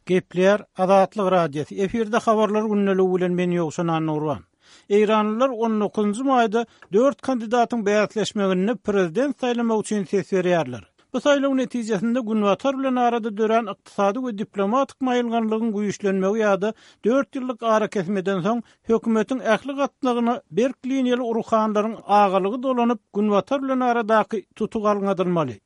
Gepleýär Azatlyk Radiosy, efirde Habarlar gündeligi bilen men Ýowşan Annagurban. Eýranlylar on dokuzynjy maýda dört kandidatyň bäsleşmeginde prezident saýlamak üçin ses berýärler. Bu saýlaw netijesinde Günbatar bilen arada dörän ykdysady we diplomatik maýylganlygyň güýçlenmegi ýa-da dört ýyllyk arakesmeden soň hökümetiň ähli gatlagyna berk liniýaly ruhanylaryň agalygy dolanyp, Günbatar bilen aradaky tutuk alňadylmaly.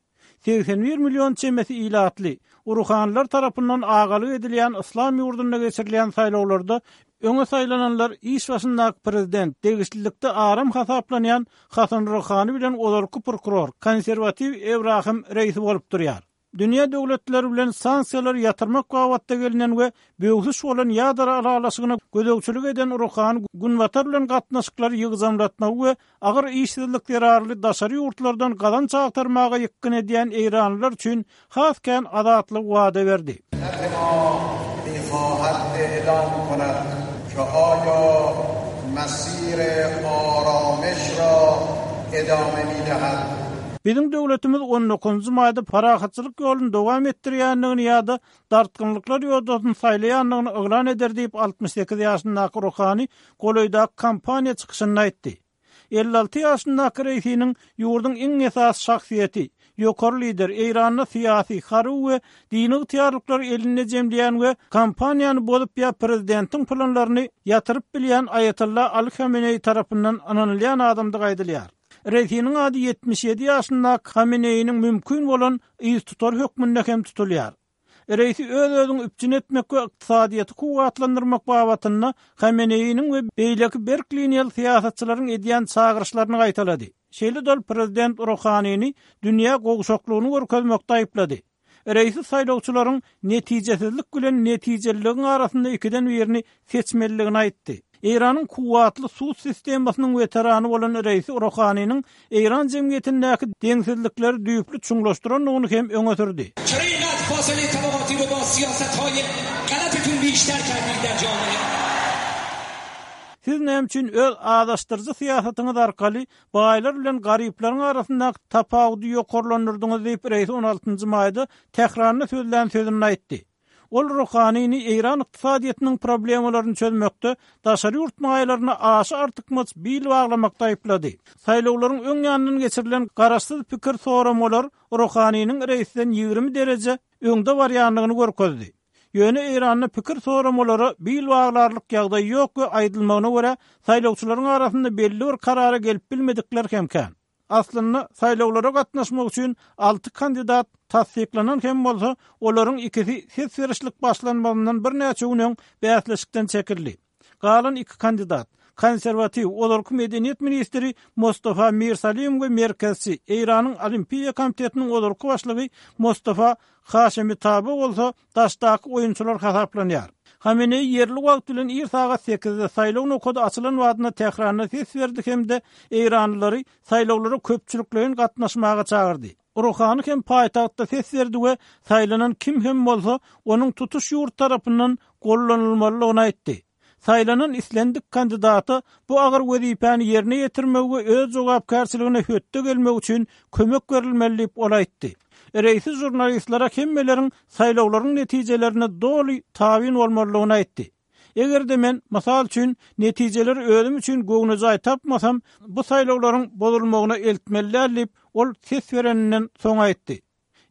81 million çemesi ilatly, ruhanylar tarapyndan agalyk edilýän yslam ýurdunda geçirilýän saýlawlarda öňe saýlananlar iş başyndaky prezident, degişlilikde aram hasaplanýan Hasan Ruhany bilen ozalky prokuror, konserwatiw Ebrahim Reisi bolup durýar. Dünýä döwletleri bilen sanksiýalary ýatyrmak babatda gelnen we böwsüş bolan ýadro ylalaşygyna gözegçilik eden Ruhany Günbatar bilen gatnaşyklary ýygjamlatmagy we Agyr işsizlik zerarly daşary ýurtlardan gazanç agtarmaga ýykgyn edýän eýranlylar üçin has kän azatlygy wada berdi. Biziň döwletimiz on dokuzynjy maýda parahatçylyk ýoluny dowam etdirýändigini ýa-da dartgynlyklar ýodasyny saýlaýandygyny yglan eder diýip, 68 ýaşyndaky Ruhani golaýdaky kampaniýa çykyşynda aýtdy. 56 ýaşyndaky Reisiniň ýurduň iň esasy şahsyýeti, ýokary lider, Eýranda syýasy, harby we dini ygtyýarlyklary elinde jemleýän we kampaniýany bozup ýa prezidentiň planlaryny ýatyryp bilýän Aýatolla Aly Hameneýi tarapyndan ynanylýan adamdygy aýdylýar. Reisiniň ady 77 ýaşyndaky Hameneýiniň mümkin bolan yztutary hökmünde hem tutulýar. Reisi öz-özüňi üpjün etmek we ykdysadyýeti kuwwatlandyrmak babatynda Hameneýiniň we beýleki berk liniýaly syýasatçylaryň edýän çagyryşlaryny gaýtalady. Şeýle-de ol prezident Ruhanini dünýä gowşaklygyny görkezmekde aýyplady. Reisi saýlawçylaryň netijesizlik bilen netijeliligiň arasynda ikiden birini seçmelidigini aýtdy. Eýranyň kuwwatly sud sistemasynyň weterany bolan Reisi Rohaniniň eýran jemgyýetindäki deňsizlikleri düýpli çuňlaşdyrandygyny hem öňe sürdi. Siz näme üçin öz azaşdyryjy syýasatyňyz arkaly baýlar bilen garyplaryň arasyndaky tapawudy ýokarlandyrdyňyz diýip, Reisi on altynjy maýda Tähranda sözlän sözünde aýtdy. Ol Ruhanini Eýran ykdysadyýetiniň problemalaryny çözmekde daşary ýurt maýalaryna aşa artykmaç bil baglamakda aýyplady. Saýlawlaryň öň ýanyndan geçirilen garaşsyz pikir soramalar Ruhaniniň Reisden 20 dereje öňde barýandygyny görkezdi. Ýöne Eýranda pikir soramalara bil baglarlyk ýagdaý ýok we aýdylmagyna görä, saýlawçylaryň arasynda belli bir karara gelip bilmedikler hem kän. Aslynda, saýlawlara gatnaşmak üçin alty kandidat tassyklanan hem bolsa, olaryň ikisi ses berişlik başlanmazyndan birnäçe gün öň bäsleşikden çekildi. Galan iki kandidat, konserwatiw, ozalky medeniýet ministri Mostafa Mirsalim we merkezçi, Eýranyň Olimpiýa komitetiniň ozalky başlygy Mostafa Haşemi Taba bolsa daşdaky oýunçylar hasaplanýar. Hameneýi ýerli wagt bilen ir sagat sekizde saýlaw nokady açylan badyna Tähranda ses berdi hem-de eýranlylary saýlawlara köpçülikleýin gatnaşmaga çagyrdy. Ruhany hem paýtagtda ses berdi we saýlanan kim hem bolsa, onuň tutuş ýurt tarapyndan gollanylmalydygyny aýtdy. Saýlanan islendik kandidata bu agyr wezipäni ýerine ýetirmegi we öz jogapkärçiligine hötde gelmegi üçin kömek berilmeli diýip, ol aýtdy. Reisi žurnalistlere hemmeleriň saýlawlaryň netijelerine doly tabyn bolmalydygyny aýtdy. Eger-de men, mysal üçin, netijeleri özüm üçin göwnejaý tapmasam, bu saýlawlaryň bozulmagyna eltmeli däl diýip, ol ses bereninden soň aýtdy.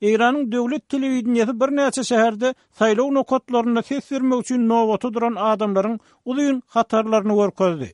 Eýranyň döwlet telewideniýesi birnäçe şäherde saýlaw nokatlarynda ses bermek üçin nobata duran adamlaryň uzyn hatarlaryny görkezdi.